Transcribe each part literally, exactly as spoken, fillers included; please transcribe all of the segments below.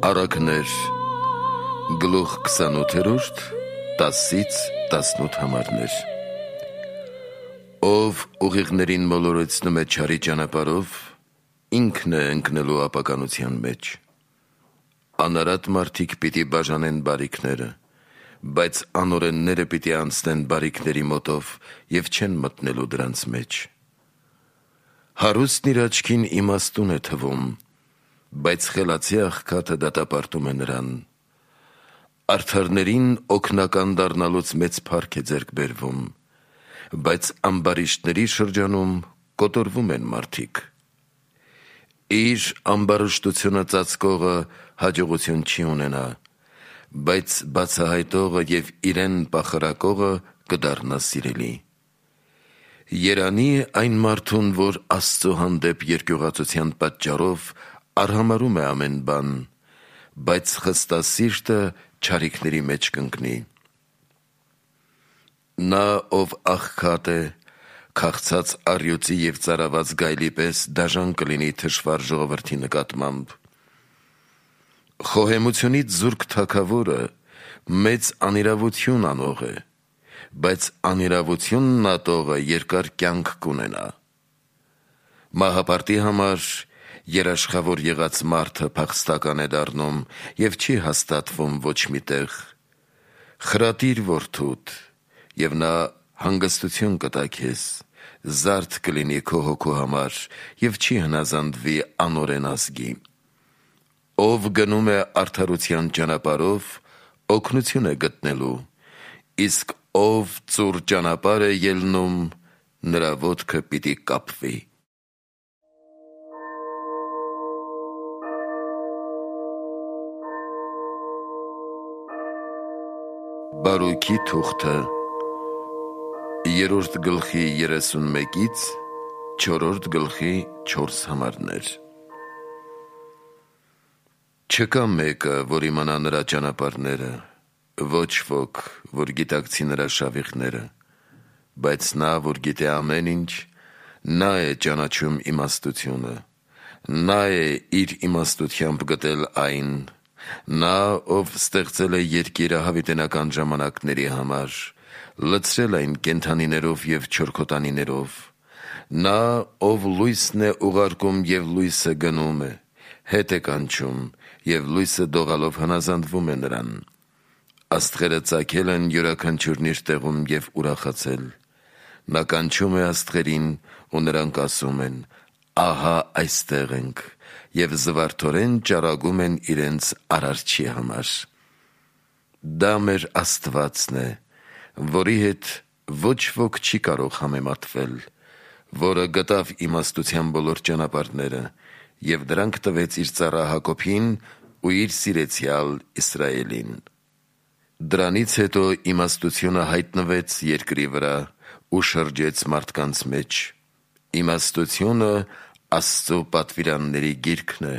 Առակներ գլուխ քսանութերորդ տասից տասնութ համարներ Ով ուղիղներին մոլորեցնում է չարի ճանապարհով, ինքն է ընկնելու ապականության մեջ։ Անարատ մարդիկ պիտի բաժանեն բարիքները, բայց անօրենները պիտի անցնեն բարիքների մոտով և չեն մտնելու դրանց մեջ։ Հարուստն իր աչքին իմաստուն է թվում, բայց խելացի աղքատը դատապարտում է նրան։ Արդարներին օգնական դառնալուց մեծ փառք է ձեռք բերվում, բայց ամբարիշտների շրջանում կոտորվում են մարդիկ։ Իր ամբարշտությունը ծածկողը հաջողություն չի ունենա, բայց բացահայտողը և իրեն պախարակողը կդառնա սիրելի։ Երանի է այն մարդուն, որ Աստծո հանդեպ երկյուղածության պատճառով արհամարհում է ամեն բան, բայց խստասիրտը չարիքների մեջ կընկնի։ Նա, ով աղքատ է, քաղցած առյուծի և ծարաված գայլի պես դաժան կլինի թշվառ ժողովրդի նկատմամբ։ Խոհեմությունից զուրկ թագավորը մեծ անիրավություն անող է, բայց անիրավությունն ատողը երկար կյանք կունենա։ Մահապարտի համար երաշխավոր եղած մարդը փախստական է դառնում և չի հաստատվում ոչ մի տեղ։ Խրատիր որդուդ, և նա հանգստություն կտա քեզ, զարդ կլինի քո հոգու համար և չի հնազանդվի անօրեն ազգի։ Ով գնում է արդարության ճանապարհով, օգնություն է գտնելու, իսկ ով ծուռ ճանապարհ է ելնում, նրա ոտքը պիտի կապվի։ Բարուքի թուղթը երրորդ գլխի երեսունմեկից չորրորդ գլխի չորս համարներ Չկա մեկը, որ իմանա նրա ճանապարհները, ոչ ոք, որ գիտակցի նրա շավիղները, բայց նա, որ գիտե ամեն ինչ, նա է ճանաչում իմաստությունը, նա է իր իմաստությամբ գտել այն, նա, ով ստեղծել է երկիրը հավիտենական ժամանակների համար, լցրել այն կենդանիներով և չորքոտանիներով, նա, ով լույսն է ուղարկում և լույսը գնում է, հետ է կանչում և լույսը դողալով հնազանդվում է նրան։ Աստղերը ծագել են յուրաքանչյուրն իր տեղում և ուրախացել։ Նա կանչում է աստղերին ու նրանք ասում են. «Ահա այստեղ ենք», և զվարթորեն ճառագում են իրենց Արարչի համար։ Դա մեր Աստվածն է, որի հետ ոչ ոք չի կարող համեմատվել, որը գտավ իմաստության բոլոր ճանապարհները և դրանք տվեց իր ծառա Հակոբին ու իր սիրեցյալ Իսրայելին։ Դրանից հետո իմաստությունը հայտնվեց երկրի վրա ու շրջեց մարդկանց մեջ։ Իմաստությունը Աստծո պատվիրանների գիրքն է,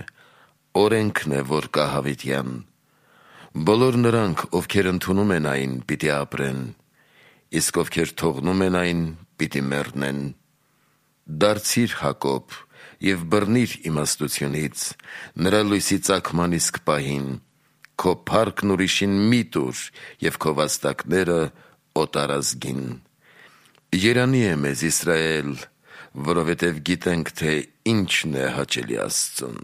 օրենքն է, որ կա հավիտյան։ Բոլոր նրանք, ովքեր ընդունում են այն, պիտի ապրեն, իսկ ովքեր թողնում են այն, պիտի մեռնեն։ Դարձի՛ր Հակոբ և բռնի՛ր իմաստությունից, նրա լույսի ծագման իսկ պահին, քո փառքն ուրիշին մի տուր և քո վաստակները օտար ազգին։ Երանի է մեզ Իսրայել, որովհետև գիտենք, թե ինչն է հաճելի Աստծուն։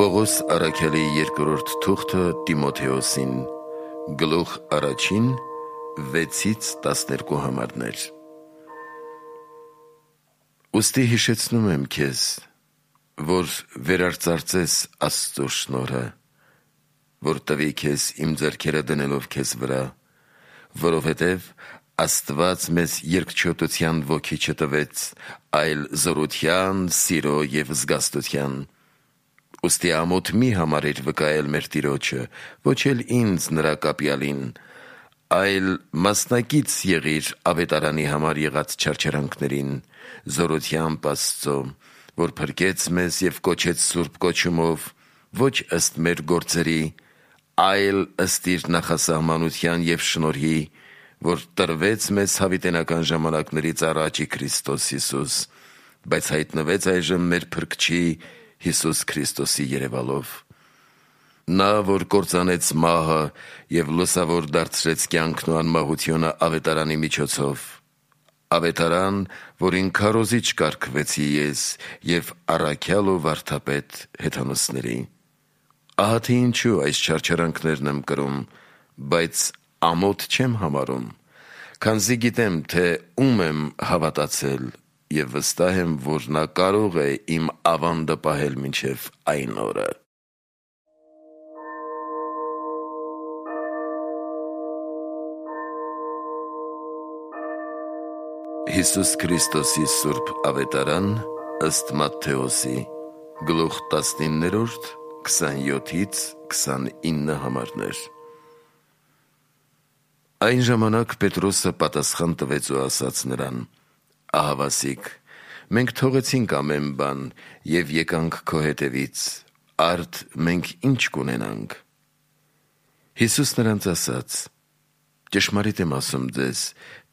Պողոս առաքյալի երկրորդ թուղթը Տիմոթեոսին, գլուխ առաջին, վեցից տասներկու համարներ Ուստի հիշեցնում եմ քեզ, որ վերարծարծես Աստծո շնորհը, որ տվի քեզ իմ ձեռքերը դնելով քեզ վրա, որովհետև Աստված մեզ երկչոտության ոգի չտվեց, այլ զորության, սիրո և զգաստության։ Ուստի ամոթ մի համարիր վկայել մեր Տիրոջը, ոչ էլ ինձ նրա կապյալին, այլ մասնակից եղիր ավետարանի համար եղած չարչարանքներին, զորությամբ Աստծո, որ փրկեց մեզ և կոչեց սուրբ կոչումով, ոչ ըստ մեր գործերի, այլ ըստ իր նախասահմանության և շնորհի, որ տրվեց մեզ հավիտենական ժամանակներից առաջ Քրիստոս Հիսուս, բայց հայտնվեց այժմ մեր Փրկչի Հիսուս Քրիստոսի երևալով։ Նա, որ կործանեց մահը և լուսավոր դարձրեց կյանքն ու անմահությունը ավետարանի միջոցով, ավետարան, որին քարոզիչ կարգվեցի ես և առաքյալ ու վարդապետ հեթանոսների։ Ահա թե ինչու այս չարչարանքներն եմ կրում, բայց ամոթ չեմ համարում, քանզի գիտեմ, թե ում եմ հավատացել և վստահ եմ, որ նա կարող է իմ ավանդը պահել մինչև այն օրը։ Հիսուս Քրիստոսի Սուրբ Ավետարան ըստ Մատթեոսի, գլուխ տասնիններորդ, քսանյոթից քսանինը համարներ։ Այն ժամանակ Պետրոսը պատասխան տվեց ու ասաց նրան. «Ահա Վասիկ, մենք թողեցինք ամեն բան և եկանք քո հետևից, արդ մենք ինչ կունենանք»։ Հիսուս նրանց ասաց. «Ճշմարիտ եմ ասում ձեզ,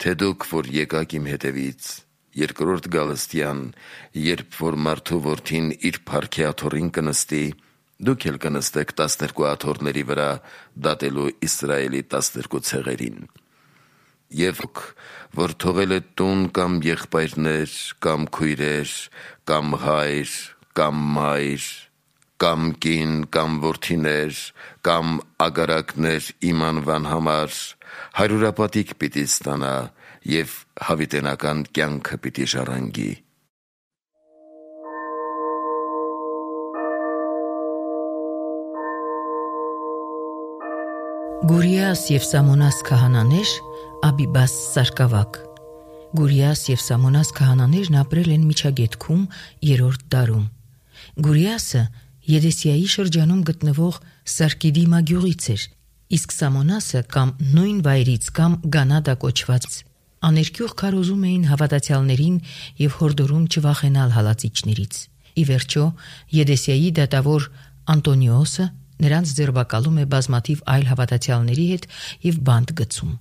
թե դուք, որ եկաք իմ հետևից, երկրորդ գալստյան, երբ որ մարդու որդին իր փառքի աթոռին կնստի, դուք էլ կնստեք տասներկու աթոռների վրա, դատելու Իսրայելի տասներկու ցեղերին։ Եվ դուք, որ թողել եք տուն կամ եղբայրներ, կամ քույրեր, կամ հայր, կամ մայր, կամ կին, կամ որդիներ, կամ ագարակներ իմ անվան համար, հարյուրապատիկ պիտի ստանա և հավիտենական կյանքը պիտի ժառանգի»։ Գուրիաս և Սամոնաս քահանաներ, Աբիբաս սարկավակ։ Գուրիաս և Սամոնաս քահանաներն ապրել են Միջագետքում երրորդ դարում։ Գուրիասը Եդեսիայի շրջանում գտնվող Սարկիդիմա գյուղից էր, իսկ Սամոնասը կամ նույն վայրից կամ Գանադա կոչված։ Աներկյուղ քարոզում էին հավատացյալներին և հորդորում չվախենալ հալածիչներից։ Ի վերջո, Եդեսիայի դատավոր Անտոնիոսը նրանց ձերբակալում է բազմաթիվ այլ հավատացյալների հետ և բանտ գցում։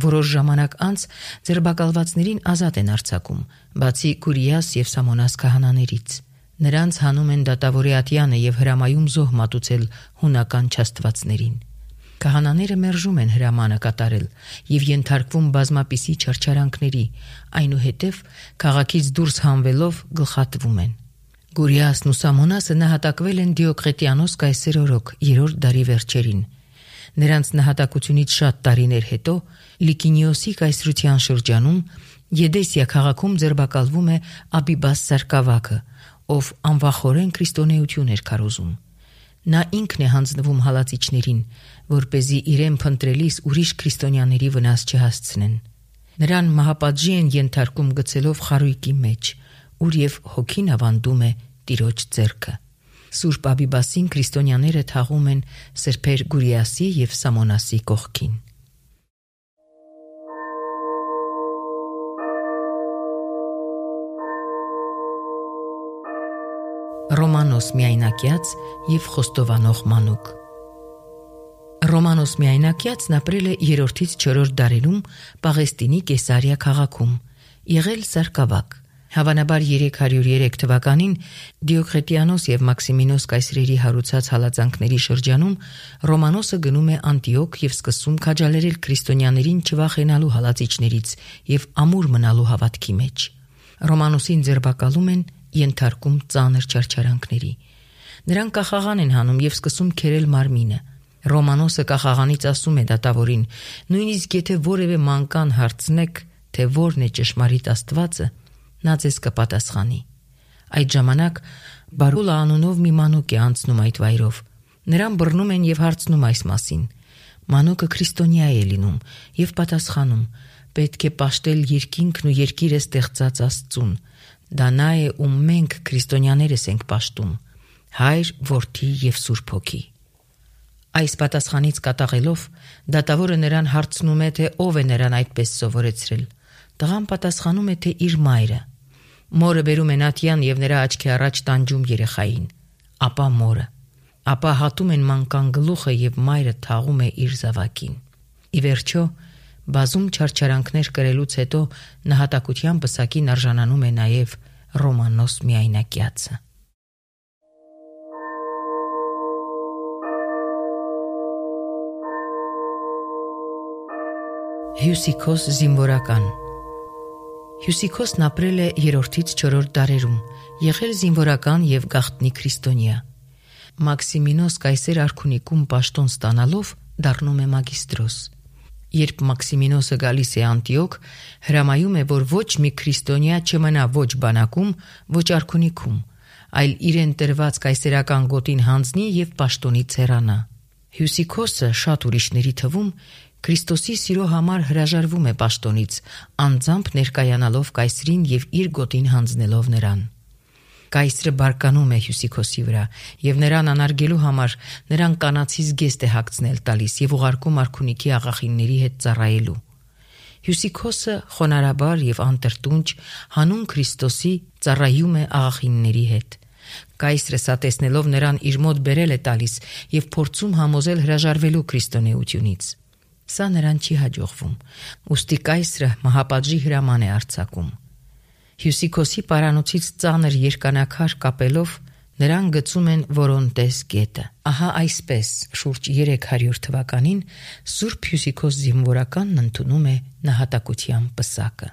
Որոշ ժամանակ անց ձերբակալվածներին ազատ են արձակում, բացի Գուրիաս և Սամոնաս քահանաներից։ Նրանց հանում են դատավորի ատյանը և հրամայում զոհ մատուցել հունական չաստվածներին։ Քահանաները մերժում են հրամանը կատարել և ենթարկվում բազմապիսի չարչարանքների, այնուհետև քաղաքից դուրս հանվելով գլխատվում են։ Գուրիասն ու Սամոնասը նահատակվել են Դիոկլետիանոս կայսեր օրոք երրորդ դարի վերջերին։ Նրանց նահատակությունից շատ տարիներ հետո Լիկինիոսի կայսրության շրջանում Եդեսիա քաղաքում ձերբակալվում է Աբիբաս սարկավակը, ով անվախորեն քրիստոնեություն էր քարոզում։ Նա ինքն է հանձնվում հալածիչներին, որպեսզի իրեն փնտրելիս ուրիշ քրիստոնյաների վնաս չհասցնեն։ Նրան մահապատժի են ենթարկում գցելով խարույկի մեջ, ուր և հոգին ավանդում է Տիրոջ ձեռքը։ Սուրբ Աբիբասին քրիստոնյաները թաղում են սրբեր Գուրիասի և Սամոնասի կողքին։ Ռոմանոս միայնակյաց և խոստովանող մանուկ։ Ռոմանոս միայնակյացն ապրել է երրորդից չորրորդ դարերում Պաղեստինի Կեսարիա քաղաքում, եղել սարկավակ։ Հավանաբար երեք հարյուր երեք թվականին Դիոկլետիանոս և Մաքսիմինոս կայսրերի հարուցած հալածանքների շրջանում Ռոմանոսը գնում է Անտիոք և սկսում քաջալերել քրիստոնյաներին չվախենալու հալածիչներից և ամուր մնալու հավատքի մեջ։ Ռոմանոսին ձերբակալում են, ենթարկում ծանր չարչարանքների։ Նրան կախաղան են հանում և սկսում քերել մարմինը։ Ռոմանոսը կախաղանից ասում է դատավորին. «Նույնիսկ եթե որևէ մանկան հարցնեք, թե որն է ճշմարիտ Աստվածը, նա ձեզ կպատասխանի»։ Այդ ժամանակ Բարուլա անունով մի մանուկ է անցնում այդ վայրով։ Նրան բռնում են և հարցնում այս մասին։ Մանուկը քրիստոնյա է լինում և պատասխանում. «Պետք է պաշտել երկինքն ու երկիրը ստեղծած Աստծուն։ Դա նա է, ում մենք քրիստոնյաներս ենք պաշտում, Հայր, Որդի և Սուրբ Հոգի»։ Այս պատասխանից կատաղելով դատավորը նրան հարցնում է, թե ով է նրան այդպես սովորեցրել։ Տղան պատասխանում է, թե իր մայրը։ Մորը բերում են ատյան և նրա աչքի առաջ տանջում երեխային, ապա մորը։ Ապա հատում են մանկան գլուխը և մայրը թաղում է իր զավակին։ Ի վերջո Բազում չարչարանքներ կրելուց հետո նահատակության պսակին արժանանում է նաև Ռոմանոս Միայնակյացը։ Հյուսիքոս զինվորական Հյուսիքոսն ապրել է երրորդից չորրորդ դարերում, եղել զինվորական եւ գաղտնի քրիստոնյա։ Մաքսիմինոս կայսեր արքունիկում պաշտոն ստանալով դառնում է մագիստրոս։ Երբ Մաքսիմինոսը գալիս է Անտիոք, հրամայում է, որ ոչ մի քրիստոնյա չմնա ոչ բանակում, ոչ արքունիքում, այլ իրեն տրված կայսերական գոտին հանձնի եւ պաշտոնից հեռանա։ Հյուսիքոսը շատ ուրիշների թվում Քրիստոսի սիրո համար հրաժարվում է պաշտոնից, անձամբ ներկայանալով կայսրին եւ իր գոտին հանձնելով նրան։ Կայսրը բարկանում է Հյուսիքոսի վրա եւ նրան անարգելու համար նրան կանացի զգեստ է հագցնել տալիս եւ ուղարկում արքունիքի աղախինների հետ ծառայելու։ Հյուսիքոսը խոնարհաբար եւ անտրտունջ հանուն Քրիստոսի ծառայում է աղախինների հետ։ Կայսրը սա տեսնելով նրան իր մոտ բերել է տալիս եւ փորձում համոզել հրաժարվելու քրիստոնեությունից։ Սա նրան չի հաջողվում, ուստի կայսրը մահապատժի հրաման է արձակում։ Հյուսիքոսի պարանոցից ծանր երկանակար կապելով նրան գցում են Որոնտես գետը։ Ահա այսպես շուրջ երեք հարյուր թվականին Սուրբ Հյուսիքոս զինվորականն ընդունում է նահատակության պսակը։